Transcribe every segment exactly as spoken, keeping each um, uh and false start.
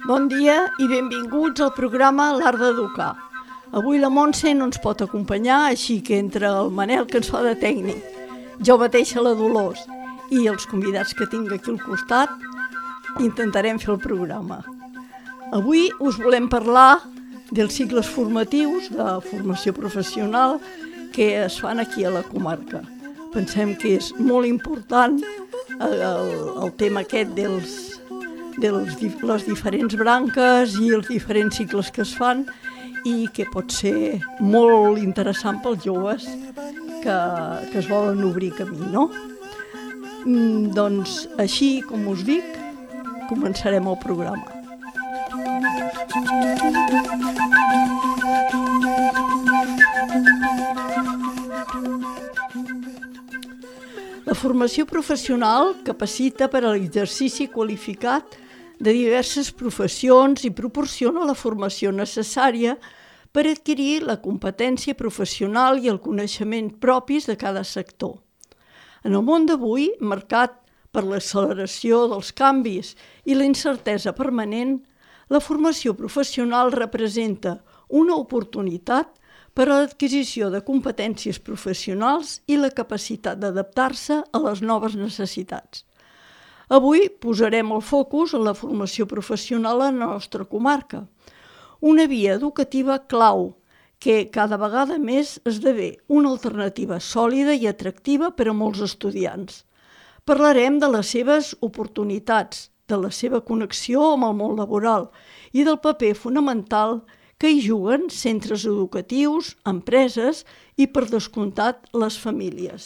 Bon dia i benvinguts al programa L'Art d'Educar. Avui la Montse no ens pot acompanyar, així que entre el Manel, que ens fa de tècnic, jo mateixa la Dolors i els convidats que tinc aquí al costat, intentarem fer el programa. Avui us volem parlar dels cicles formatius de formació professional que es fan aquí a la comarca. Pensem que és molt important el, el tema aquest dels, de les diferents branques i els diferents cicles que es fan i que pot ser molt interessant pels joves que, que es volen obrir camí, no? Mm, doncs així com us dic, començarem el programa. La formació professional capacita per a l'exercici qualificat de diverses professions i proporciona la formació necessària per adquirir la competència professional i el coneixement propis de cada sector. En el món d'avui, marcat per l'acceleració dels canvis i la incertesa permanent, la formació professional representa una oportunitat per a l'adquisició de competències professionals i la capacitat d'adaptar-se a les noves necessitats. Avui posarem el focus en la formació professional a la nostra comarca, una via educativa clau que cada vegada més esdevé una alternativa sòlida i atractiva per a molts estudiants. Parlarem de les seves oportunitats, de la seva connexió amb el món laboral i del paper fonamental que hi juguen centres educatius, empreses i, per descomptat, les famílies.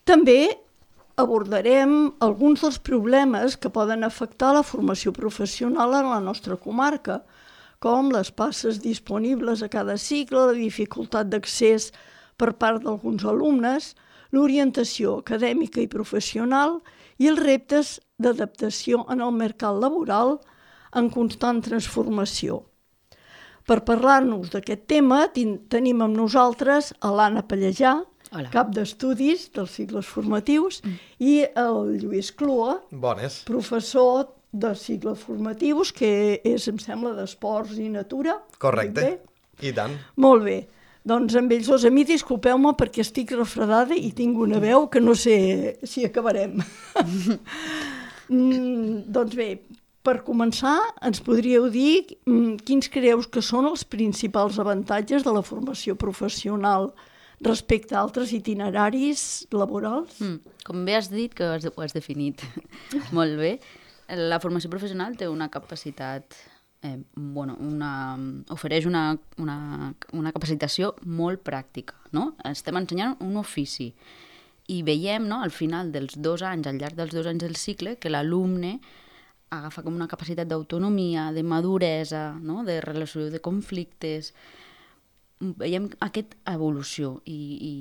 També abordarem alguns dels problemes que poden afectar la formació professional en la nostra comarca, com les places disponibles a cada cicle, la dificultat d'accés per part d'alguns alumnes, l'orientació acadèmica i professional i els reptes d'adaptació en el mercat laboral en constant transformació. Per parlar-nos d'aquest tema tenim amb nosaltres a l'Anna Pallejà, Hola. Cap d'estudis dels cicles formatius, mm. i el Lluís Clua, Bones. Professor de cicles formatius, que és, em sembla, d'esports i natura. Correcte, i tant. Molt bé. Doncs amb ells dos, a mi disculpeu-me perquè estic refredada i tinc una veu que no sé si acabarem. mm, doncs bé, per començar, ens podríeu dir mm, quins creus que són els principals avantatges de la formació professional respecte a altres itineraris laborals? Mm, com bé has dit, que ho has, ho has definit molt bé, la formació professional té una capacitat, eh, bueno, una, ofereix una, una, una capacitació molt pràctica, no? Estem ensenyant un ofici i veiem, no, al final dels dos anys, al llarg dels dos anys del cicle, que l'alumne agafa com una capacitat d'autonomia, de maduresa, no? De resolució de conflictes. Veiem aquesta evolució i, i,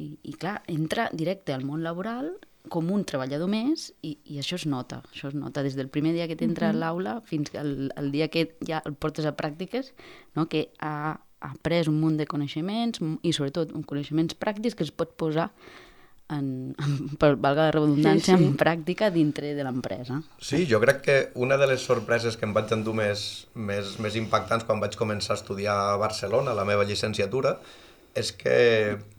i, i clar, entra directe al món laboral com un treballador més i, i això es nota, això es nota des del primer dia que t'entra uh-huh. a l'aula fins al, al dia que ja el portes a pràctiques, no? Que ha, ha après un munt de coneixements i sobretot coneixements pràctics que es pot posar en, en, per valga la redundància, sí, sí. en pràctica dintre de l'empresa. Sí, jo crec que una de les sorpreses que em vaig endur més, més, més impactants quan vaig començar a estudiar a Barcelona, la meva llicenciatura, és que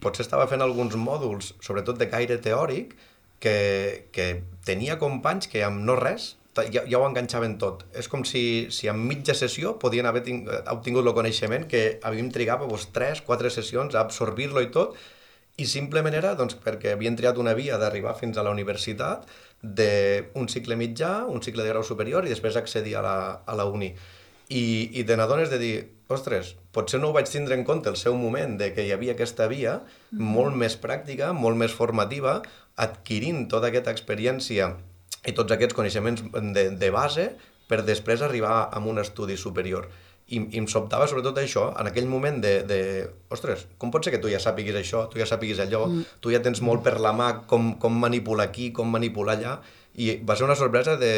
potser estava fent alguns mòduls, sobretot de caire teòric, que, que tenia companys que amb no res ja, ja ho enganxaven tot. És com si, si en mitja sessió podien haver ting, obtingut el coneixement que havíem trigat doncs, tres, quatre sessions a absorbir-lo i tot, i simplement era doncs, perquè havien triat una via d'arribar fins a la universitat d'un cicle mitjà, un cicle de grau superior i després accedir a la, a la uni. I, i te n'adones de dir, ostres, potser no ho vaig tindre en compte el seu moment de que hi havia aquesta via mm. molt més pràctica, molt més formativa, adquirint tota aquesta experiència i tots aquests coneixements de, de base per després arribar a un estudi superior. I, i em sobtava sobretot això, en aquell moment de, de, ostres, com pot ser que tu ja sàpiguis això, tu ja sàpiguis allò, mm. tu ja tens molt per la mà com, com manipular aquí, com manipular allà, i va ser una sorpresa de,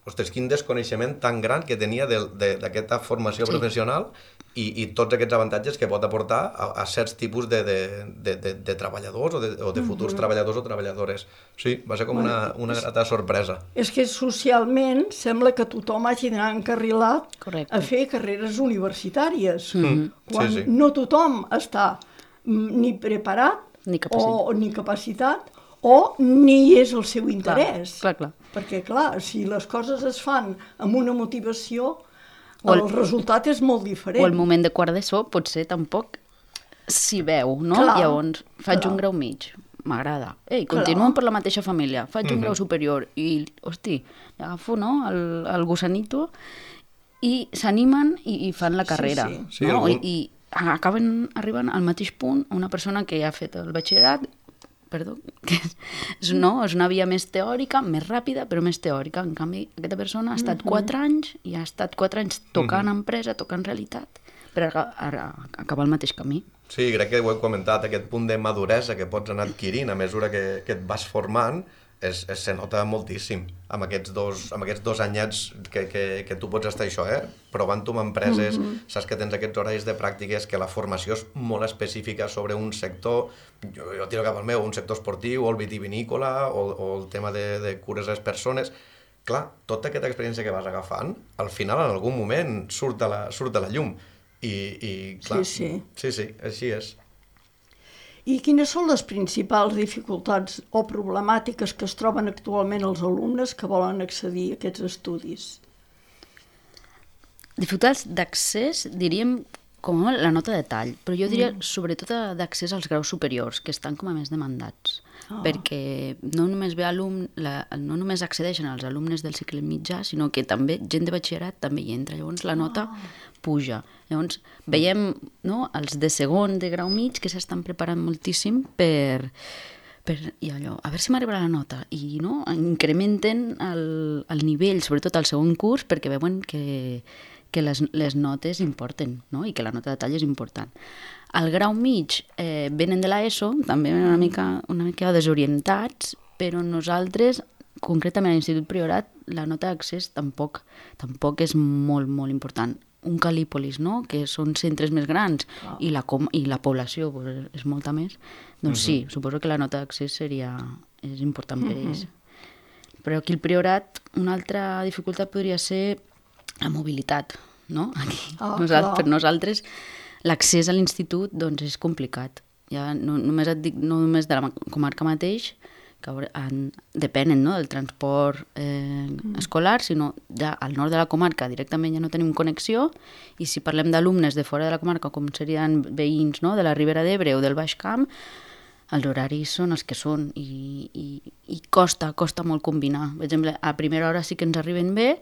ostres, quin desconeixement tan gran que tenia d'aquesta formació sí. professional i, i tots aquests avantatges que pot aportar a, a certs tipus de, de, de, de, de treballadors o de, o de futurs mm-hmm. treballadors o treballadores. Sí, va ser com bueno, una, una grata sorpresa. És que socialment sembla que tothom hagi d'anar encarrilat Correcte. A fer carreres universitàries, mm-hmm. quan sí, sí. no tothom està ni preparat ni capacitat. o ni capacitat o ni és el seu interès. Clar, clar, clar. Perquè, clar, si les coses es fan amb una motivació, el, el resultat és molt diferent. O el moment de quart d'ESO potser tampoc s'hi veu, no? Clar, Llavors, faig clar. un grau mig, m'agrada. Ei, continuem per la mateixa família, faig mm-hmm. un grau superior i, hosti, agafo, no?, el, el gusanito i s'animen i, i fan la carrera. Sí, sí. No? Sí, algun... I, I acaben arribant al mateix punt una persona que ja ha fet el batxillerat, perdó, que és, no, és una via més teòrica, més ràpida, però més teòrica. En canvi, aquesta persona ha estat quatre anys i ha estat quatre anys tocant empresa, tocant realitat, per a, a, a acabar el mateix camí. Sí, crec que ho he comentat, aquest punt de maduresa que pots anar adquirint a mesura que, que et vas formant, es, es, se nota moltíssim amb aquests dos, amb aquests dos anyets que, que, que tu pots estar això, eh? Provant-ho amb empreses, mm-hmm. saps que tens aquests horaris de pràctiques, que la formació és molt específica sobre un sector, jo, jo tiro cap al meu, un sector esportiu, o el vitivinícola, o, o el tema de, de cures a les persones. Clar, tota aquesta experiència que vas agafant, al final, en algun moment, surt a la, surt a la llum. I, i clar, sí, sí. sí, sí, així és. I quines són les principals dificultats o problemàtiques que es troben actualment els alumnes que volen accedir a aquests estudis? Dificultats d'accés, diríem, com a la nota de tall, però jo diria mm. sobretot d'accés als graus superiors, que estan com a més demandats, oh. perquè no només ve alum, la, no només accedeixen els alumnes del cicle mitjà, sinó que també gent de batxillerat també hi entra, llavors la nota oh. puja. Llavors veiem, no, els de segon de grau mig que s'estan preparant moltíssim per, per i allò, a veure si m'arribarà la nota, i no, incrementen el, el nivell, sobretot al segon curs, perquè veuen que que les, les notes importen, no? I que la nota de tall és important. Al grau mig eh, venen de l'ESO, també una mica, una mica desorientats, però nosaltres, concretament a l'Institut Priorat, la nota d'accés tampoc, tampoc és molt, molt important. Un Calípolis, no?, que són centres més grans oh. i, la com, i la població pues, és molta més, doncs uh-huh. sí, suposo que la nota d'accés seria, és important per ells. Uh-huh. Però aquí al Priorat una altra dificultat podria ser la mobilitat, no? Aquí, oh, nosaltres, per nosaltres l'accés a l'institut doncs, és complicat. Ja no, només et dic, no només de la comarca mateix, que han, depenen, no?, del transport eh, mm. escolar, sinó ja al nord de la comarca directament ja no tenim connexió, i si parlem d'alumnes de fora de la comarca, com serien veïns, no?, de la Ribera d'Ebre o del Baix Camp, els horaris són els que són i, i, i costa, costa molt combinar. Per exemple, a primera hora sí que ens arriben bé,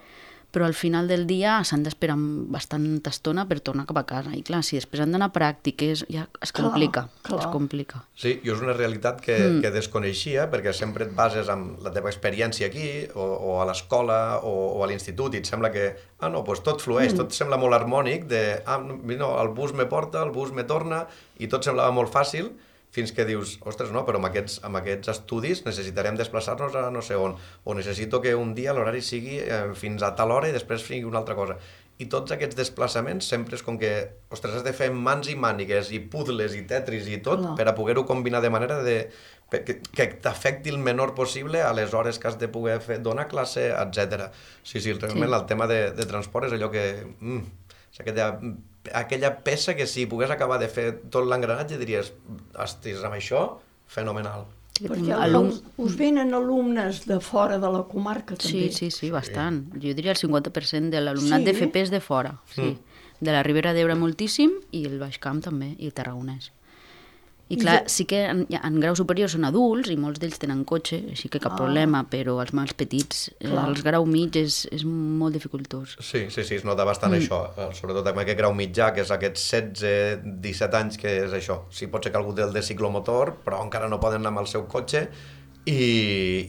però al final del dia s'han d'esperar bastanta estona per tornar cap a casa. I clar, si després han d'anar a pràctiques, ja es complica, clar, clar. es complica. Sí, i és una realitat que, mm. que desconeixia, perquè sempre et bases en la teva experiència aquí, o, o a l'escola, o, o a l'institut, i et sembla que, ah no, doncs tot flueix, mm. tot sembla molt harmònic, de, ah, no, el bus me porta, el bus me torna, i tot semblava molt fàcil, fins que dius, ostres, no, però amb aquests, amb aquests estudis necessitarem desplaçar-nos a no sé on, o necessito que un dia l'horari sigui eh, fins a tal hora i després sigui una altra cosa. I tots aquests desplaçaments sempre és com que, ostres, has de fer mans i mànigues i puzzles i tetris i tot no. per a poder-ho combinar de manera de, que, que t'afecti el menor possible a les hores que has de poder fer, donar classe, etcètera. Sí, sí, realment sí. el tema de, de transport és allò que... Mm, és aquella, aquella peça que si pogués acabar de fer tot l'engranatge diries, ostres, amb això, fenomenal. Perquè Alum... us venen alumnes de fora de la comarca també. Sí, sí, sí, bastant. Sí. Jo diria el cinquanta per cent de l'alumnat sí? de F P és de fora. Sí. Mm. De la Ribera d'Ebre moltíssim i el Baix Camp també, i el Tarragonès. I clar, I... sí que en, en grau superior són adults i molts d'ells tenen cotxe, així que cap ah. problema, però els mals petits, clar. els grau mig és, és molt dificultós. Sí, sí, sí, es nota bastant mm. això, sobretot amb aquest grau mitjà, que és aquests setze disset anys, que és això. Sí, pot ser que algú té el de ciclomotor, però encara no poden anar amb el seu cotxe, i,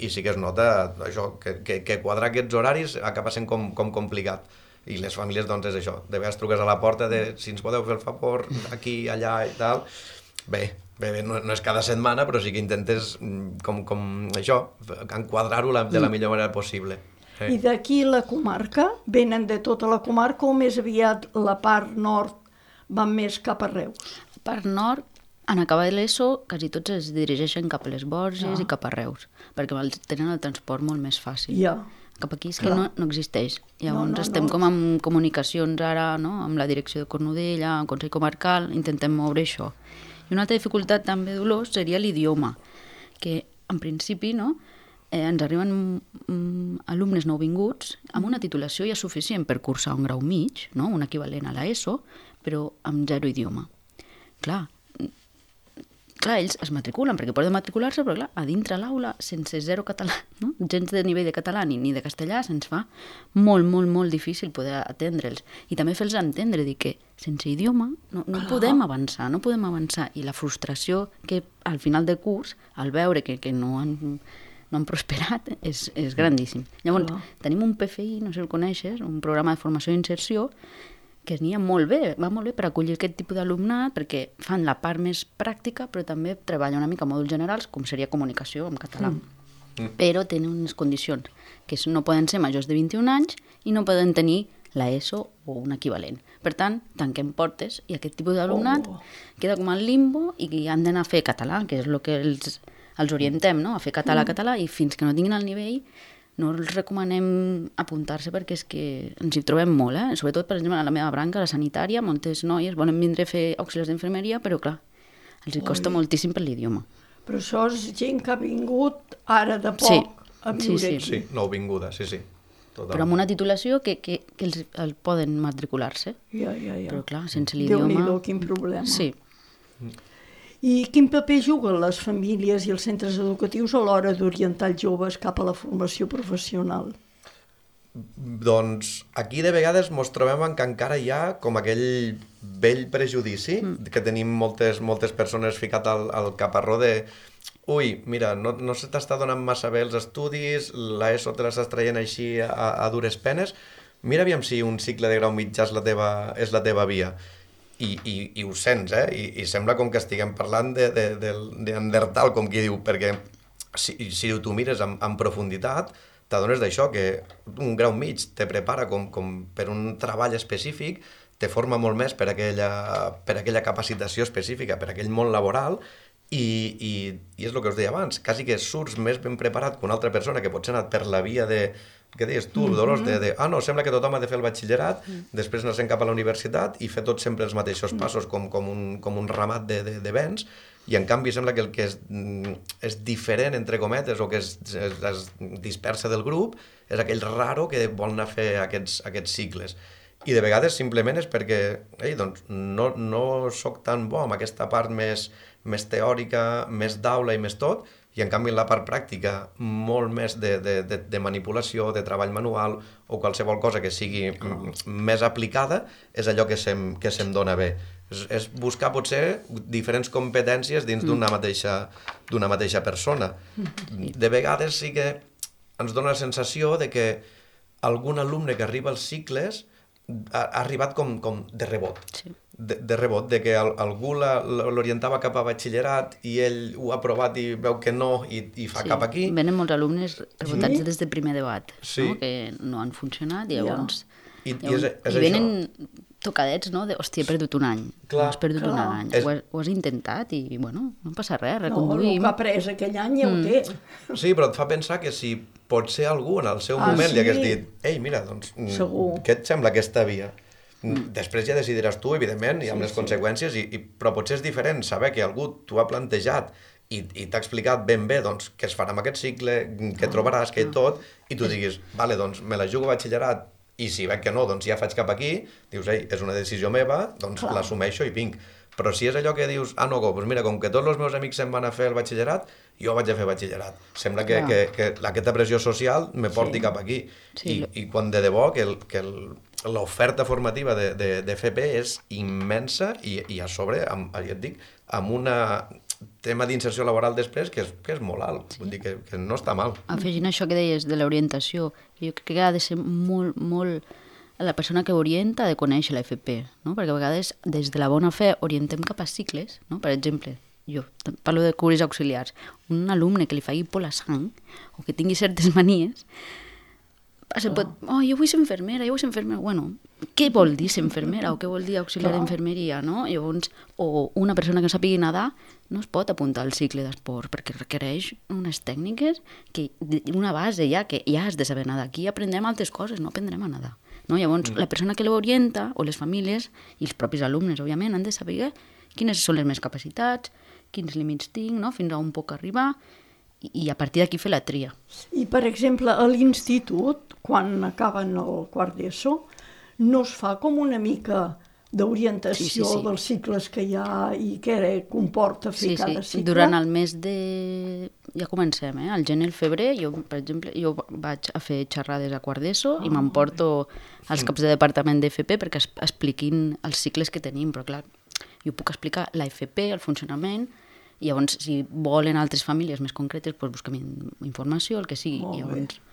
i sí que es nota això, que, que, que quadrar aquests horaris acaba sent com, com complicat. I les famílies, doncs, és això. De vegades truques a la porta de si ens podeu fer el favor, aquí, allà i tal. Bé, bé, bé no, no és cada setmana, però sí que intentes, com, com això, enquadrar-ho de la millor manera possible. Eh. I d'aquí la comarca? Venen de tota la comarca o més aviat la part nord van més cap a Reus? La part nord, en acabar l'ESO, quasi tots es dirigeixen cap a les Borges Ah. i cap a Reus, perquè tenen el transport molt més fàcil. Ja. Cap aquí és que no, no existeix. Llavors No, no, estem no. com amb comunicacions ara, no? Amb la direcció de Cornudella, amb el Consell Comarcal, intentem moure això. I una altra dificultat també, Dolors, seria l'idioma, que en principi no, eh, ens arriben mm, alumnes nouvinguts amb una titulació ja suficient per cursar un grau mig, no? Un equivalent a l'ESO, però amb zero idioma. Clar, clar, ells es matriculen perquè poden matricular-se, però clar, a dintre l'aula, sense zero català, no? Gens de nivell de català ni, ni de castellà, se'ns fa molt, molt, molt difícil poder atendre'ls. I també fer-los entendre dir que sense idioma no, no podem avançar, no podem avançar. I la frustració que al final de curs, al veure que, que no han, no han prosperat, és, és grandíssim. Llavors, Clar. tenim un P F I, no sé si el coneixes, un programa de formació i inserció, que n'hi ha molt bé, va molt bé per acollir aquest tipus d'alumnat, perquè fan la part més pràctica, però també treballa una mica a mòduls generals, com seria comunicació en català. Mm. Però tenen unes condicions, que és, no poden ser majors de vint-i-un anys i no poden tenir l'ESO o un equivalent. Per tant, tanquem portes i aquest tipus d'alumnat Oh. queda com al limbo i que han d'anar a fer català, que és el que els, els orientem, no? A fer català, mm. català, i fins que no tinguin el nivell no els recomanem apuntar-se perquè és que ens hi trobem molt, eh? Sobretot, per exemple, a la meva branca, la sanitària, moltes noies volen vindre a fer auxiliars d'infermeria, però clar, els hi costa Oi. moltíssim per l'idioma. Però això és gent que ha vingut ara de poc Sí. a Sí, viure sí. aquí. Sí, nouvinguda, sí, sí. Totalment. Però amb una titulació que, que, que els, el poden matricular-se. Ja, ja, ja. Però clar, sense l'idioma... Déu-n'hi-do, quin problema. Sí. I quin paper juguen les famílies i els centres educatius a l'hora d'orientar els joves cap a la formació professional? Doncs aquí de vegades mos trobem en que encara hi ha com aquell vell prejudici mm. que tenim moltes, moltes persones ficat al, al caparró de ui, mira, no, no se t'està donant massa bé els estudis, l'ESO te l'estàs traient així a, a dures penes, mira aviam si un cicle de grau mitjà és la teva, és la teva via. I, i, i ho sents, eh? I, i sembla com que estiguem parlant de, de, de, de Neandertal, com qui diu, perquè si, si tu mires en, en profunditat, t'adones d'això, que un grau mig te prepara com, com per un treball específic, te forma molt més per aquella, per aquella capacitació específica, per aquell món laboral, i, i, i és el que us deia abans, quasi que surts més ben preparat que una altra persona que potser ha anat per la via de, què deies tu, Dolors, de, de, ah no, sembla que tothom ha de fer el batxillerat, mm. després anar-se'n cap a la universitat i fer tots sempre els mateixos passos com, com, un, com un ramat de, de, de vents, i en canvi sembla que el que és, és diferent, entre cometes, o que es, es, es dispersa del grup, és aquell raro que vol anar a fer aquests, aquests cicles. I de vegades simplement és perquè ei, doncs, no, no soc tan bo amb aquesta part més, més teòrica, més d'aula i més tot, i en canvi en la part pràctica molt més de, de, de, de manipulació, de treball manual o qualsevol cosa que sigui oh. més aplicada, és allò que se'm, que se'm dona bé. És, és buscar potser diferents competències dins mm. d'una mateixa, d'una mateixa persona. De vegades sí que ens dona la sensació de que algun alumne que arriba als cicles ha, ha arribat com, com de rebot. Sí. De, de rebot, de que al, algú la, l'orientava cap a batxillerat i ell ho ha provat i veu que no i, i fa Sí. cap aquí. Venen molts alumnes rebotats Sí? des del primer debat, Sí. no? Que no han funcionat, i llavors... I, i llavors, és, és i venen tocadets, no? De, hòstia, he perdut un any. Clar, has perdut clar. un any. És- Ho, has, ho has intentat i, bueno, no passa res, No, el reconduïm. que ha pres aquell any ja ho té. Sí, però et fa pensar que si potser algú en el seu Ah, moment sí? li hagués dit ei, mira, doncs, mm, Segur. què et sembla aquesta via? Mm. Després ja decidiràs tu, evidentment, i amb Sí, les sí. conseqüències, i, i, però potser és diferent saber que algú t'ho ha plantejat i, i t'ha explicat ben bé doncs, què es farà amb aquest cicle, què trobaràs, què i tot, i tu diguis, vale, doncs me la jugo a batxillerat, i si veig que no, doncs ja faig cap aquí, dius, ei, és una decisió meva, doncs Clar. l'assumeixo i vinc. Però si és allò que dius, ah, no, doncs mira, com que tots els meus amics se'n van a fer el batxillerat, jo vaig a fer batxillerat. Sembla que, Clar. que, que aquesta pressió social me porti Sí. cap aquí. Sí. I, I quan de debò que, el, que el, l'oferta formativa de, de, de F P és immensa i, i a sobre, amb, ja et dic, amb un tema d'inserció laboral després que és, que és molt alt, sí. Vull dir que, que no està mal. Afegint això que deies de l'orientació, jo crec que ha de ser molt, molt... La persona que orienta ha de conèixer la F P, no? Perquè a vegades des de la bona fe orientem cap a cicles, no? Per exemple, jo parlo de cures auxiliars, un alumne que li faci por la sang o que tingui certes manies, Se pot, oh, jo vull ser infermera, jo vull ser infermera. Bueno, què vol dir ser infermera o què vol dir auxiliar d'infermeria, no? Llavors, o una persona que no sàpigui nedar no es pot apuntar al cicle d'esport perquè requereix unes tècniques, que una base ja, que ja has de saber nedar. Aquí aprendrem altres coses, no aprendrem a nedar. No? Llavors, la persona que l'orienta, o les famílies, i els propis alumnes, òbviament, han de saber quines són les meves capacitats, quins límits tinc, no? Fins a on puc arribar, i a partir d'aquí fer la tria. I, per exemple, a l'institut, quan acaben el quart d'ESO, no es fa com una mica d'orientació sí, sí, sí. dels cicles que hi ha i què comporta fer sí, cada sí. cicle? Durant el mes de... Ja comencem, eh? Al gener i el febrer, jo, per exemple, jo vaig a fer xerrades a quart d'ESO oh, i m'emporto als caps de departament d'F P perquè es, expliquin els cicles que tenim, però clar, jo puc explicar la F P, el funcionament, i llavors, si volen altres famílies més concretes, doncs busquem informació, el que sigui. Molt llavors...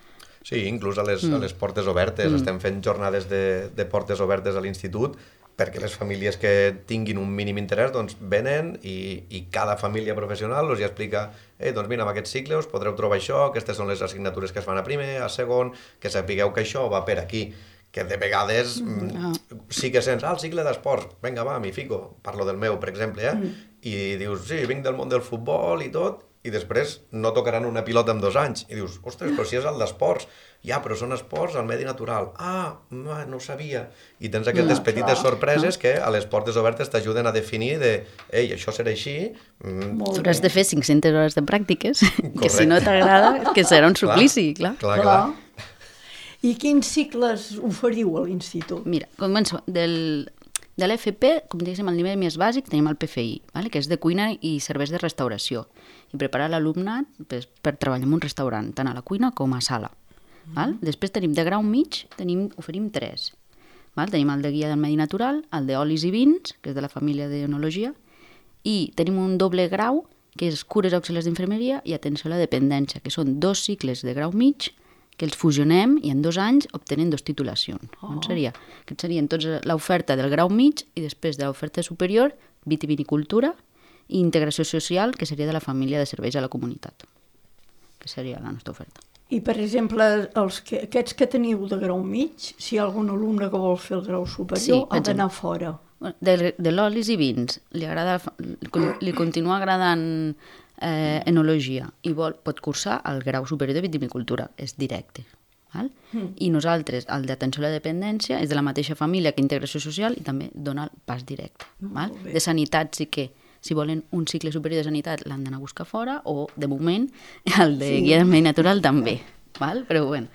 Sí, inclús a les, mm. a les portes obertes. Mm. Estem fent jornades de, de portes obertes a l'institut perquè les famílies que tinguin un mínim interès doncs venen i, i cada família professional els explica eh, doncs mira, amb aquest cicle us podreu trobar això, aquestes són les assignatures que es fan a primer, a segon, que sapigueu que això va per aquí. Que de vegades mm. sí que sents, ah, el cicle d'esports, vinga, va, m'hi fico, parlo del meu, per exemple, eh? Mm. I dius, sí, vinc del món del futbol i tot, i després no tocaran una pilota en dos anys. I dius, ostres, però si és el d'esports. Ja, però són esports al medi natural. Ah, no ho sabia. I tens aquestes no, petites clar. sorpreses no. que a les portes obertes t'ajuden a definir de, ei, això serà així. Mm. Tu has de fer cinc-centes hores de pràctiques, correcte. Que si no t'agrada, que serà un suplici, clar. Clar, clar. clar. I quins cicles oferiu a l'institut? Mira, començo del... De l'F P, com diguéssim, al nivell més bàsic, tenim el P F I, vale? Que és de cuina i serveis de restauració, i preparar l'alumnat per, per treballar en un restaurant, tant a la cuina com a sala. Mm. Val? Després tenim de grau mig, tenim, oferim tres. Val? Tenim el de guia del medi natural, el d'olis i vins, que és de la família d'enologia, i tenim un doble grau, que és cures auxiliars d'infermeria i atenció a la dependència, que són dos cicles de grau mig, que els fusionem i en dos anys obtenen dos titulacions. Oh. Seria? Que serien tots l'oferta del grau mig i després de l'oferta superior, vitivinicultura i integració social, que seria de la família de serveis a la comunitat, que seria la nostra oferta. I, per exemple, els que, aquests que teniu de grau mig, si hi ha algun alumne que vol fer el grau superior, sí, ha d'anar fora. De, de l'olis i vins, li, agrada, li continua agradant eh, enologia i vol, pot cursar el grau superior de vitivinicultura, és directe. Val? Mm. I nosaltres, el d'atenció a la dependència, és de la mateixa família que integració social i també dona el pas directe. Val? De sanitat sí que, si volen un cicle superior de sanitat, l'han d'anar a buscar fora, o, de moment, el de sí. guia del medi natural també. Val? Però, bueno,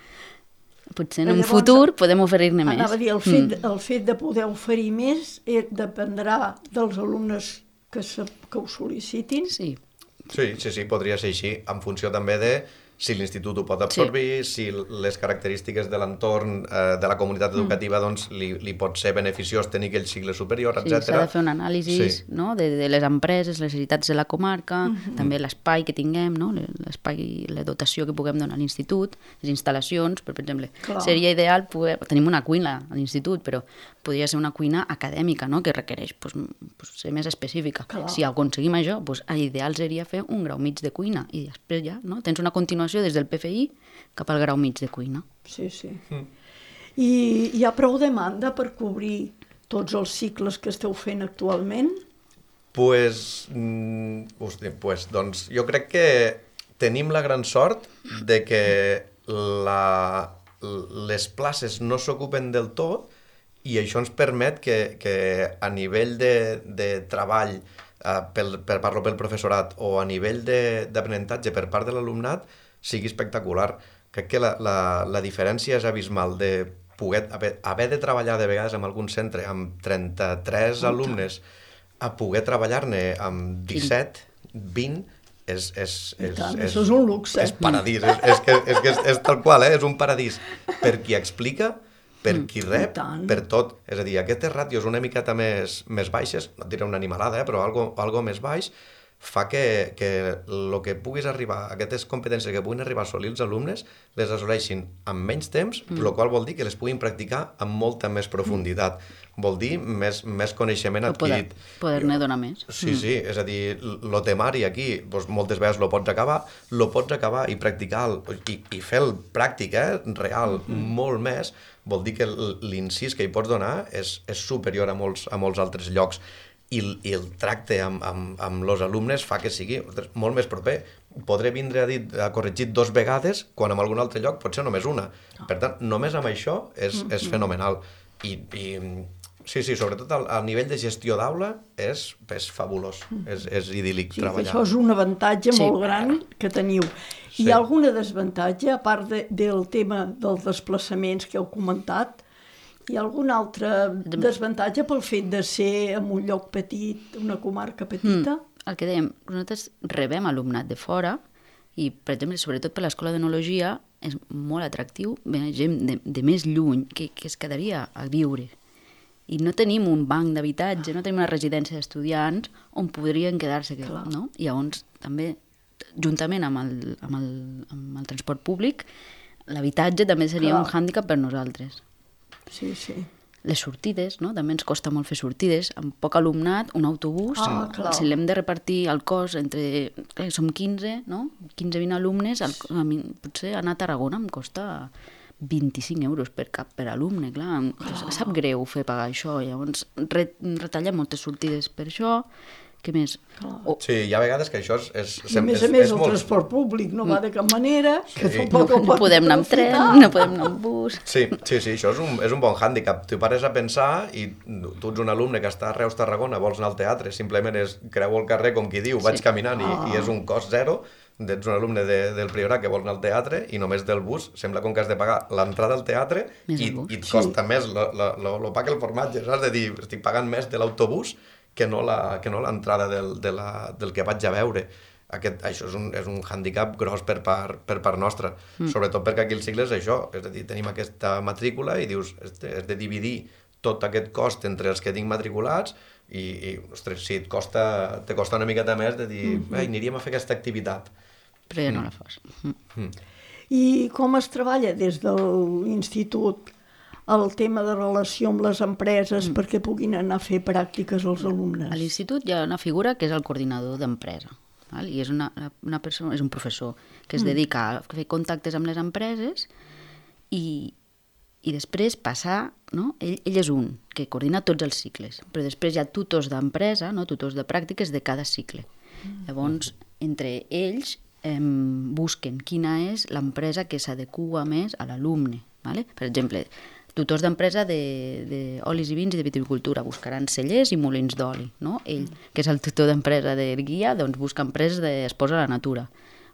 potser en un llavors, futur podem oferir-ne més. Anava a dir, el fet, mm. el fet de poder oferir més eh, dependrà dels alumnes que, se, que ho sol·licitin. Sí. Sí, sí, sí, podria ser així, en funció també de si l'institut ho pot absorbir, sí. si les característiques de l'entorn eh, de la comunitat educativa mm. doncs, li, li pot ser beneficiós tenir aquell cicle superior, sí, etcètera. S'ha de fer un anàlisi sí. no? de, de les empreses, les necessitats de la comarca, mm -hmm. també l'espai que tinguem, no? l'espai, la dotació que puguem donar a l'institut, les instal·lacions, per exemple. Clar. Seria ideal, poder... tenim una cuina a l'institut, però podria ser una cuina acadèmica, no? Que requereix pues, pues, ser més específica. Clar. Si aconseguim això, pues, l'ideal seria fer un grau mig de cuina i després ja no? Tens una continuació des del P F I cap al grau mig de cuina. Sí, sí. Mm. I hi ha prou demanda per cobrir tots els cicles que esteu fent actualment? Pues, mm, hosti, pues, doncs jo crec que tenim la gran sort de que la, les places no s'ocupen del tot i això ens permet que, que a nivell de, de treball, eh, pel, per parlo pel professorat, o a nivell d'aprenentatge per part de l'alumnat, sigui espectacular. Crec que la, la, la diferència és abismal de poder, haver, haver de treballar de vegades en algun centre amb trenta-tres alumnes a poder treballar-ne amb disset, vint, és, és, és, tant, és, això és un luxe. És paradís, és, és, que, és, que és, és tal qual, eh? És un paradís. Per qui explica, per qui rep, per tot. És a dir, aquestes ràtios una miqueta més, més baixes, no et diré una animalada, eh? Però algo, algo més baix, fa que, que el que puguis arribar, aquestes competències que puguin arribar a assolir els alumnes, les assoleixin en menys temps, mm. el qual vol dir que les puguin practicar amb molta més profunditat. Mm. Vol dir més, més coneixement adquirit. Poder, poder-ne donar més. Sí, sí, és a dir, el temari aquí, doncs, moltes vegades lo pots acabar, lo pots acabar i practicar i, i fer el pràctic, eh, real, mm-hmm. molt més, vol dir que l'incís que hi pots donar és, és superior a molts, a molts altres llocs. I, i el tracte amb, amb, amb els alumnes fa que sigui molt més proper. Podré vindre a dir a corregir dos vegades quan en algun altre lloc pot ser només una. Per tant, només amb això és, és fenomenal. I, i sí, sí, sobretot al, al nivell de gestió d'aula és, és fabulós, és, és idíl·lic sí, treballar. Això és un avantatge sí. molt gran que teniu. Sí. Hi ha alguna desavantatge, a part de, del tema dels desplaçaments que heu comentat? Hi ha algun altre desavantatge pel fet de ser en un lloc petit, una comarca petita? Mm, el que dèiem, nosaltres rebem alumnat de fora i, per exemple, sobretot per l'Escola d'Enologia, és molt atractiu veure gent de, de més lluny que, que es quedaria a viure. I no tenim un banc d'habitatge, no tenim una residència d'estudiants on podrien quedar-se. No? I llavors, també, juntament amb el, amb el, amb el transport públic, l'habitatge també seria Clar. un hàndicap per nosaltres. Sí, sí. Les sortides, no? També ens costa molt fer sortides. Amb poc alumnat, un autobús, ah, si l'hem de repartir al cos entre... Clar, som quinze, no? quinze vint alumnes, al, a mi, potser anar a Tarragona em costa vint-i-cinc euros per cap per alumne, clar. Oh. Sap greu fer pagar això, llavors retallem moltes sortides per això. Què més? Oh. Sí, hi ha vegades que això és... és I a més és, a més és el molt... transport públic no va de cap manera, que sí. tampoc no, no podem anar amb tren, no podem anar amb bus... Sí, sí, sí, això és un, és un bon hàndicap. Tu pares a pensar i tu ets un alumne que està a Reus, Tarragona, vols anar al teatre, simplement és creu el carrer, com qui diu, vaig sí. caminant i, ah. i és un cost zero. Ets un alumne de, del Priorat que vol anar al teatre i només del bus sembla com que has de pagar l'entrada al teatre més i, i et costa sí. més el pa que el formatge, saps? De dir, estic pagant més de l'autobús que no l'entrada del, de la, del que vaig a veure. Aquest, això és un, és un hàndicap gros per part, per part nostra, mm. sobretot perquè aquí el cicle és això, és a dir, tenim aquesta matrícula i dius, has de, has de dividir tot aquest cost entre els que tinc matriculats i, i ostres, sí, et costa, te costa una miqueta més de dir, mm -hmm. aniríem a fer aquesta activitat. Però ja no la fas. Mm. Mm. I com es treballa des de l'institut el tema de relació amb les empreses mm. perquè puguin anar a fer pràctiques als alumnes? A l'institut hi ha una figura que és el coordinador d'empresa, val? I és, una, una persona, és un professor que es mm. dedica a fer contactes amb les empreses i, i després passar, no? ell, ell és un que coordina tots els cicles, però després hi ha tutors d'empresa, no? tutors de pràctiques de cada cicle. Mm. Llavors, entre ells eh, busquen quina és l'empresa que s'adequa més a l'alumne. Vale? Per exemple, tutors d'empresa d'olis i vins i de viticultura buscaran cellers i molins d'oli. No? Ell, que és el tutor d'empresa de guia, doncs busca empreses d'Esports a la Natura.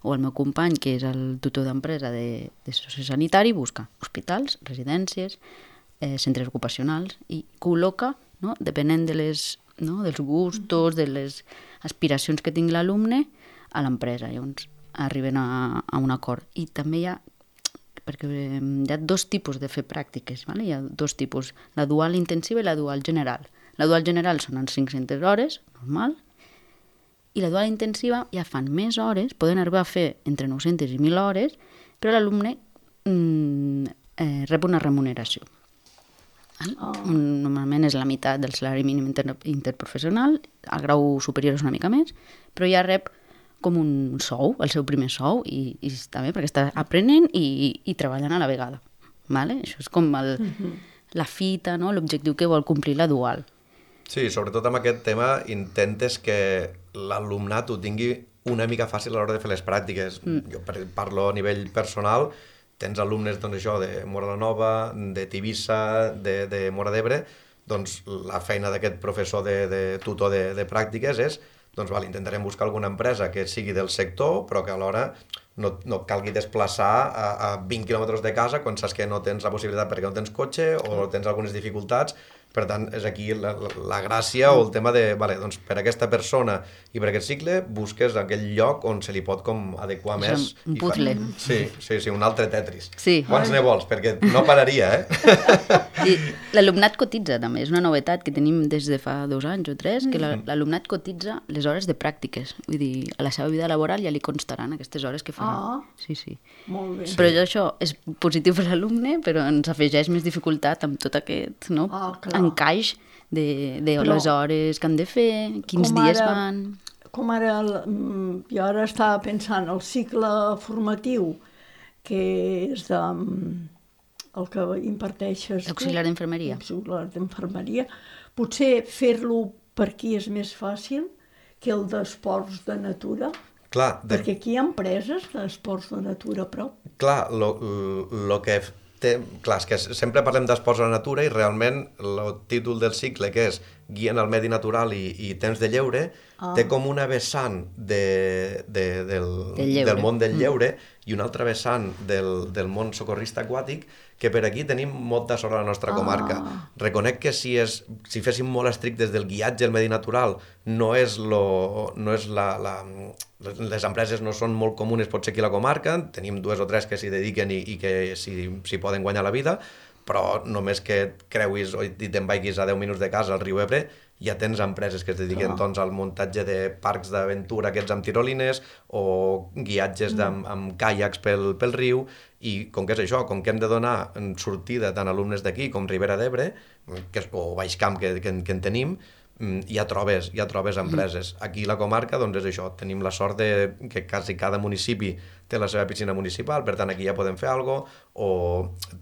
O el meu company, que és el tutor d'empresa de, de sociosanitari, busca hospitals, residències, eh, centres ocupacionals i col·loca, no? depenent de les, no? dels gustos, de les aspiracions que tingui l'alumne, a l'empresa. Llavors arriben a, a un acord. I també hi ha perquè hi ha dos tipus de fer pràctiques, vale? Hi ha dos tipus, la dual intensiva i la dual general. La dual general són en cinc-centes hores, normal, i la dual intensiva ja fan més hores, poden arribar a fer entre nou-centes i mil hores, però l'alumne mm, eh, rep una remuneració. Oh. Normalment és la meitat del salari mínim inter interprofessional, el grau superior és una mica més, però ja rep com un sou, el seu primer sou, i, i està bé perquè està aprenent i, i treballant a la vegada. Vale? Això és com el, uh-huh. la fita, no? L'objectiu que vol complir la dual. Sí, sobretot amb aquest tema intentes que l'alumnat ho tingui una mica fàcil a l'hora de fer les pràctiques. Mm. Jo parlo a nivell personal, tens alumnes doncs, això, de Móra la Nova, de Tivissa, de, de Móra d'Ebre, doncs la feina d'aquest professor de, de tutor de, de pràctiques és doncs val, intentarem buscar alguna empresa que sigui del sector, però que alhora no, no et calgui desplaçar a, a vint quilòmetres de casa quan saps que no tens la possibilitat perquè no tens cotxe o tens algunes dificultats. Per tant, és aquí la, la, la gràcia o el tema de, vale, doncs per aquesta persona i per aquest cicle busques aquell lloc on se li pot com adequar més. Un puzzle. Fa... Sí, sí, sí, un altre Tetris. Sí. Quants ne vols? Perquè no pararia, eh? I l'alumnat cotitza, també. És una novetat que tenim des de fa dos anys o tres, que l'alumnat cotitza les hores de pràctiques. Vull dir, a la seva vida laboral ja li constaran aquestes hores que farà. Ah, sí, sí. Molt bé. Però això és positiu per l'alumne, però ens afegeix més dificultat amb tot aquest, no? Ah, encaix de, de Però, les hores que han de fer, quins dies ara, van... Com ara, jo ara estava pensant, el cicle formatiu, que és de, el que imparteixes... Auxiliar d'infermeria. Auxiliar d'infermeria. Potser fer-lo per aquí és més fàcil que el d'esports de natura, clar, de... perquè aquí hi ha empreses d'esports de natura a prop. Clar, el que té... Clar, és que sempre parlem d'esports a la natura i realment el títol del cicle, que és Guia en el medi natural i, i temps de lleure, ah. té com una vessant de, de, del, del món del lleure mm. i una altra vessant del, del món socorrista aquàtic, que per aquí tenim molta sort a la nostra comarca. Ah. Reconec que si, és, si féssim molt estrictes del guiatge al medi natural, no és, lo, no és la, la... Les empreses no són molt comunes potser aquí a la comarca, tenim dues o tres que s'hi dediquen i, i que s'hi si poden guanyar la vida, però només que et creuis o te'n vagis a deu minuts de casa al riu Ebre, ja tens empreses que es dediquen oh. doncs, al muntatge de parcs d'aventura aquests amb tirolines o guiatges mm. amb, amb caiacs pel, pel riu, i com que és això, com que hem de donar sortida tant alumnes d'aquí com Ribera d'Ebre, que, o Baix Camp que, que, que en tenim, ja trobes, ja trobes empreses. Aquí a la comarca doncs és això, tenim la sort de que quasi cada municipi té la seva piscina municipal, per tant aquí ja podem fer alguna cosa, o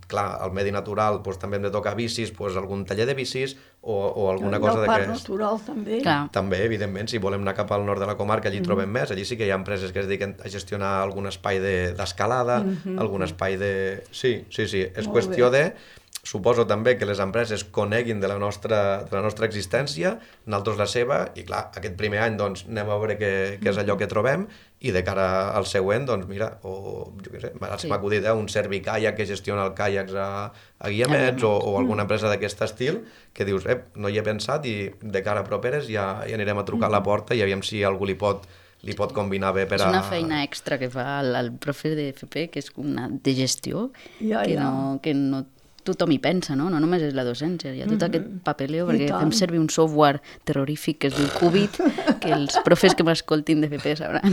clar, al medi natural doncs, també hem de tocar bicis, doncs, algun taller de bicis o, o alguna cosa d'aquest. I el parc natural també. Clar. També, evidentment, si volem anar cap al nord de la comarca allí mm. trobem més, allí sí que hi ha empreses que es dediquen a gestionar algun espai d'escalada, de, mm-hmm. algun espai de... Sí, sí, sí, és Molt qüestió bé. de... Suposo també que les empreses coneguin de la nostra, de la nostra existència, nosaltres la seva, i clar, aquest primer any doncs, anem a veure què, què és allò que trobem, i de cara al següent, doncs mira, o jo què sé, m'ha sí. acudit eh, un servicaiac que gestiona el caiacs a, a Guiamets, o, o alguna empresa d'aquest estil, que dius, eh, no hi he pensat, i de cara a properes ja, ja anirem a trucar a la porta i aviam si algú li pot li pot combinar bé per a... És una feina extra que fa el, el profe de F P, que és una de gestió, ja, que, ja. No, que no tothom hi pensa, no? No només és la docència, hi ha tot mm-hmm. aquest papeleo, perquè fem servir un software terrorífic que es diu Qubit, que els profes que m'escoltin de F P sabran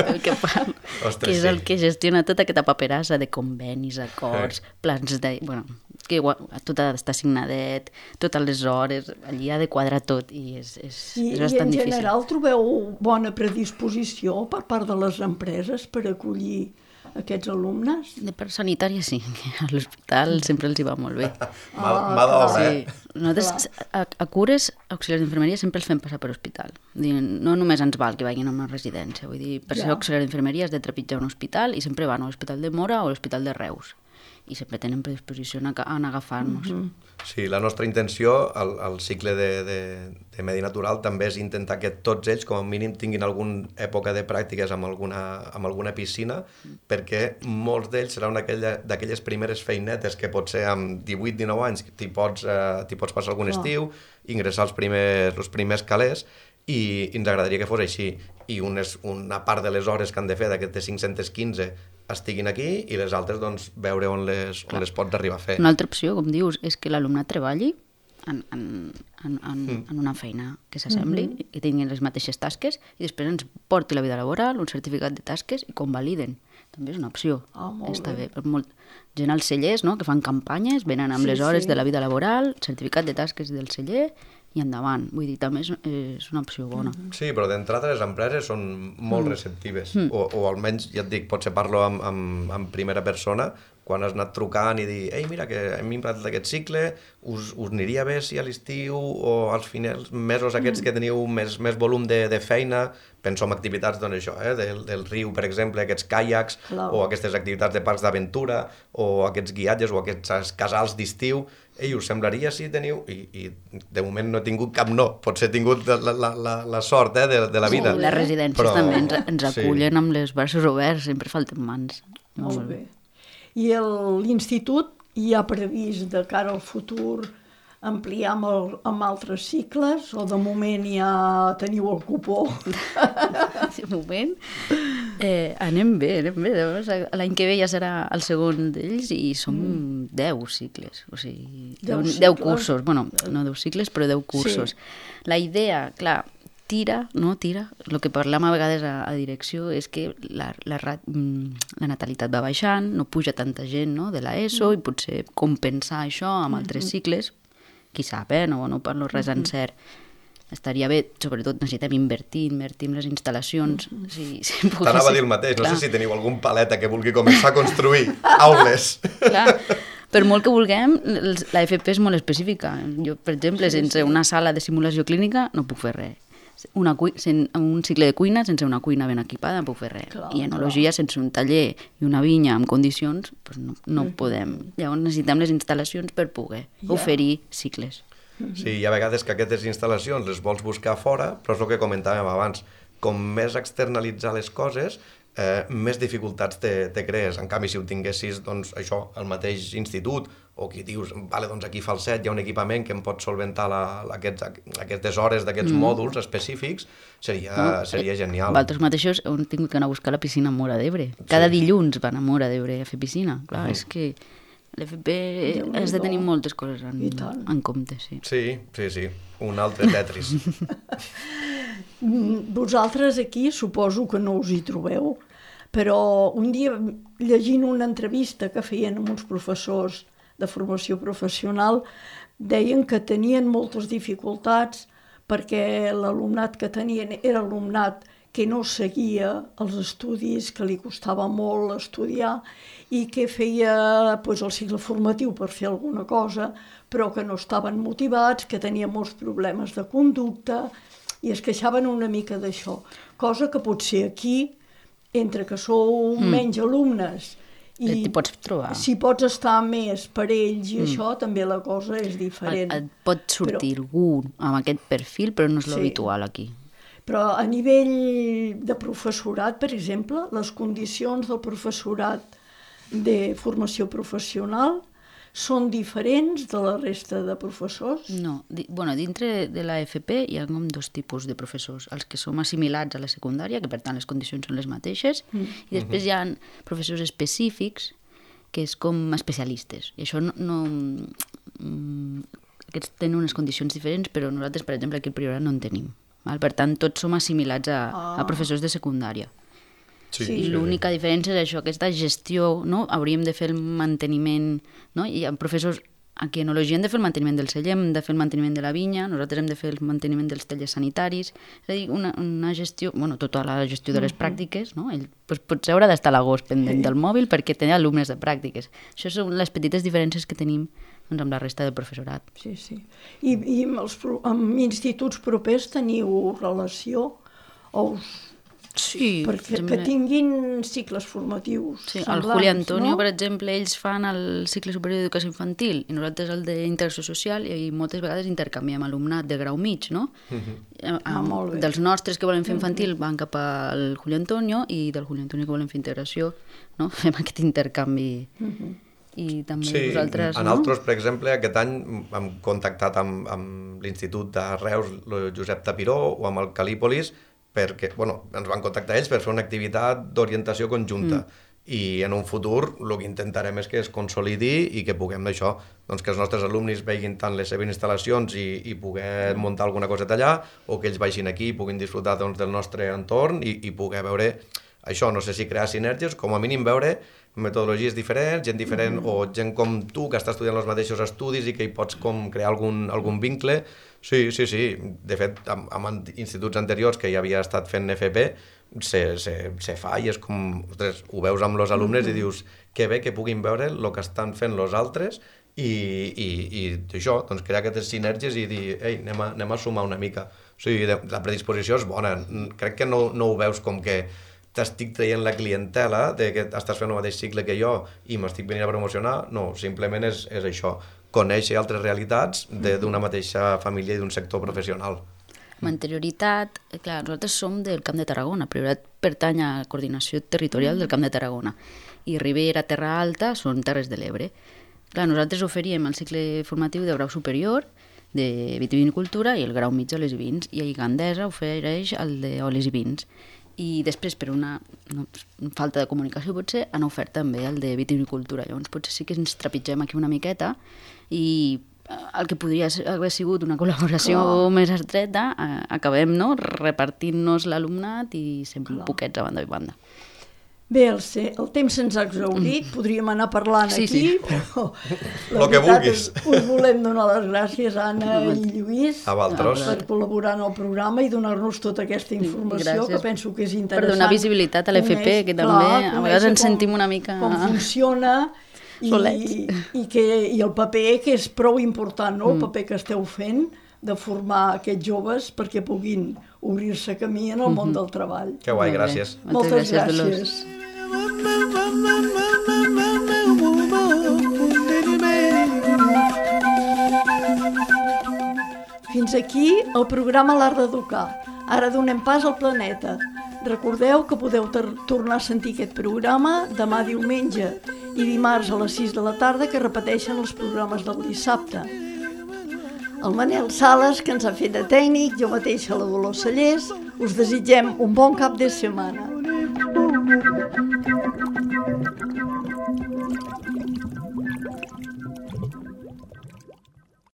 el que fan, Ostres, que és sí. el que gestiona tota aquesta paperassa de convenis, acords, sí. plans de... Bueno, que tot ha d'estar signadet, totes les hores, allí ha de quadrar tot i és, és, I, és bastant difícil. I en general difícil. Trobeu bona predisposició per part de les empreses per acollir aquests alumnes? De part sanitària sí, que a l'hospital sempre els hi va molt bé. Mà ah, d'obra, sí. eh? Nosaltres a, a cures, auxiliars d'infermeria, sempre els fem passar per hospital. No només ens val que vagin a una residència, vull dir, per ja. ser auxiliar d'infermeria has de trepitjar un hospital i sempre van a l'Hospital de Mora o a l'Hospital de Reus. I sempre tenen predisposició a, a agafar-nos. Mm-hmm. Sí, la nostra intenció al, al cicle de, de, de medi natural també és intentar que tots ells, com a mínim, tinguin alguna època de pràctiques amb alguna, amb alguna piscina, mm. perquè molts d'ells seran d'aquelles primeres feinetes que potser amb divuit dinou anys t'hi pots, eh, pots passar algun oh. estiu, ingressar els primers, els primers calés, i ens agradaria que fos així. I unes, una part de les hores que han de fer d'aquestes cinc-centes quinze estiguin aquí i les altres doncs, veure on les, on les pots arribar a fer. Una altra opció, com dius, és que l'alumnat treballi en, en, en, en, mm. en una feina que s'assembli, mm-hmm. i tinguin les mateixes tasques i després ens porti la vida laboral, un certificat de tasques i convaliden. També és una opció. Oh, molt Està bé. bé. Per molt... Gent als cellers, no?, que fan campanyes, venen amb sí, les hores sí. de la vida laboral, certificat de tasques del celler i endavant. Vull dir, també és, és una opció bona. Sí, però d'entrada les empreses són molt mm. receptives. Mm. O, o almenys, ja et dic, potser parlo amb, amb, amb primera persona, quan has anat trucant i dir, ei, mira, que hem implantat aquest cicle, us, us aniria bé si a l'estiu o als finals, mesos aquests mm. que teniu més, més volum de, de feina, penso en activitats doncs, això, eh, del, del riu, per exemple, aquests caiacs, Clar. o aquestes activitats de parcs d'aventura, o aquests guiatges, o aquests casals d'estiu. Ei, us semblaria si teniu... I, i de moment no he tingut cap no, potser he tingut la, la, la, la sort eh, de, de la vida. Sí, les residències però... també ens, ens acullen sí. amb les braços oberts, sempre falten mans. Molt, Molt bé. I l'institut hi ha previst de cara al futur ampliar amb, el, amb altres cicles o de moment ja teniu el cupó? De moment eh, anem bé, anem bé. L'any que ve ja serà el segon d'ells i som mm. deu cicles, o sigui, deu, deu cursos, bueno, no deu cicles, però deu cursos. Sí. La idea, clar, tira, no tira, el que parlem a vegades a, a direcció és que la, la, la natalitat va baixant, no puja tanta gent, no, de l'ESO, mm. i potser compensar això amb altres cicles, qui sap, eh? No, no parlo res en cert. Estaria bé, sobretot necessitem invertir, invertir en les instal·lacions. Si, si T'anava a dir el mateix, clar. No sé si teniu algun paleta que vulgui començar a construir aules. Clar, per molt que vulguem, la F P és molt específica. Jo, per exemple, sí, sense sí. una sala de simulació clínica no puc fer res. Una cui... un cicle de cuina sense una cuina ben equipada no puc fer res. Clar, I enologia clar. Sense un taller i una vinya amb condicions doncs no, no mm. podem. Llavors necessitem les instal·lacions per poder yeah. oferir cicles. Sí, hi ha vegades que aquestes instal·lacions les vols buscar fora, però és el que comentàvem abans. Com més externalitzar les coses, eh, més dificultats te, te crees. En canvi, si ho tinguessis, doncs, això, al mateix institut, o qui dius, vale, doncs aquí fa el set, hi ha un equipament que em pot solventar la, la, aquests, aquestes hores d'aquests mm. mòduls específics, seria, no, seria genial. Vosaltres mateixos heu tingut que anar a buscar la piscina a Móra d'Ebre. Cada sí. dilluns van a Móra d'Ebre a fer piscina. Clar, mm. és que l'F P has de tenir moltes coses en, en compte. Sí. sí, sí, sí. Un altre Tetris. Vosaltres aquí suposo que no us hi trobeu, però un dia llegint una entrevista que feien amb uns professors de formació professional, deien que tenien moltes dificultats perquè l'alumnat que tenien era alumnat que no seguia els estudis, que li costava molt estudiar i que feia pues, el cicle formatiu per fer alguna cosa, però que no estaven motivats, que tenien molts problemes de conducta i es queixaven una mica d'això. Cosa que potser aquí, entre que sou mm. menys alumnes, i t'hi pots trobar. Si pots estar més per ells i mm. això, també la cosa és diferent. Et, et pot sortir però... algú amb aquest perfil, però no és sí. l'habitual aquí. Però a nivell de professorat, per exemple, les condicions del professorat de formació professional són diferents de la resta de professors? No. Di, bueno, dintre de la F P hi ha com dos tipus de professors. Els que som assimilats a la secundària, que per tant les condicions són les mateixes, mm. i després mm-hmm. hi ha professors específics, que és com especialistes. I això no... no mm, aquests tenen unes condicions diferents, però nosaltres, per exemple, aquí al Priorat no en tenim. Val? Per tant, tots som assimilats a, ah. a professors de secundària. Sí, I sí, l'única sí. diferència és això, aquesta gestió, no? Hauríem de fer el manteniment, no? I amb professors, aquí en enologia hem de fer el manteniment del celler, hem de fer el manteniment de la vinya, nosaltres hem de fer el manteniment dels tallers sanitaris, és a dir, una, una gestió, bueno, tota la gestió de les uh-huh. pràctiques, no? Ell pues, potser haurà d'estar a l'agost pendent sí. del mòbil perquè té alumnes de pràctiques. Això són les petites diferències que tenim doncs, amb la resta del professorat. Sí, sí. I, i amb, els, amb instituts propers teniu relació o us... Sí. Perquè exemple... que tinguin cicles formatius sí, semblants, el Juli Antonio, no? per exemple, ells fan el cicle superior d'educació infantil i nosaltres el d'integració social i moltes vegades intercanviem alumnat de grau mig, no? Uh-huh. Ah, molt bé. Dels nostres que volen fer infantil van cap al Juli Antonio i del Juli Antonio que volen fer integració, no? Fem aquest intercanvi. Uh-huh. I també sí, vosaltres, en no? altres, per exemple, aquest any hem contactat amb, amb l'Institut de Reus, el Josep Tapiró, o amb el Calípolis, perquè, bueno, ens van contactar ells per fer una activitat d'orientació conjunta. Mm. I en un futur el que intentarem és que es consolidi i que puguem d'això, doncs que els nostres alumnes vegin tant les seves instal·lacions i, i poder mm. muntar alguna coseta allà, o que ells vagin aquí i puguin disfrutar doncs, del nostre entorn i, i poder veure això, no sé si crear sinergies, com a mínim veure metodologies diferents, gent diferent mm. o gent com tu que està estudiant els mateixos estudis i que hi pots com crear algun, algun vincle. Sí, sí, sí. De fet, amb, amb instituts anteriors que ja havia estat fent F P, se, se, se fa i és com, ostres, ho veus amb els alumnes mm-hmm. i dius que bé que puguin veure el que estan fent els altres i, i, i això, doncs crear aquestes sinergies i dir, ei, anem a, anem a sumar una mica. O sigui, la predisposició és bona. Crec que no, no ho veus com que t'estic traient la clientela de que estàs fent el mateix cicle que jo i m'estic venint a promocionar. No, simplement és, és això, conèixer altres realitats d'una mateixa família i d'un sector professional. Amb anterioritat, clar, nosaltres som del Camp de Tarragona, Priorat pertany a la coordinació territorial del Camp de Tarragona i Ribera, Terra Alta són Terres de l'Ebre. Clar, nosaltres oferíem el cicle formatiu de grau superior de vitivinicultura i el grau mig d'olis i vins, i Gandesa ofereix el d'olis i vins. I després, per una no, falta de comunicació potser, han ofert també el de vitivinicultura. Llavors potser sí que ens trepitgem aquí una miqueta i el que podria haver sigut una col·laboració Clar. més estreta, eh, acabem no, repartint-nos l'alumnat i sempre Clar. poquets a banda i banda. Bé, el, el temps se'ns ha exhaurit, mm. podríem anar parlant sí, aquí, sí. però la que veritat és, us volem donar les gràcies a Anna i Lluís a per col·laborar en el programa i donar-nos tota aquesta informació, gràcies. que penso que és interessant. Per donar visibilitat a l'F P, que també clar, a vegades ens com, sentim una mica... Com funciona i, i, que, i el paper, que és prou important, no? el paper que esteu fent, de formar aquests joves perquè puguin obrir-se camí en el món del treball. Que guai, gràcies. Moltes gràcies. Fins aquí el programa L'Art d'Educar. Ara donem pas al planeta. Recordeu que podeu tornar a sentir aquest programa demà diumenge i dimarts a les sis de la tarda, que repeteixen els programes del dissabte. El Manel Sales, que ens ha fet de tècnic, jo mateixa la Dolors Cellers, us desitgem un bon cap de setmana.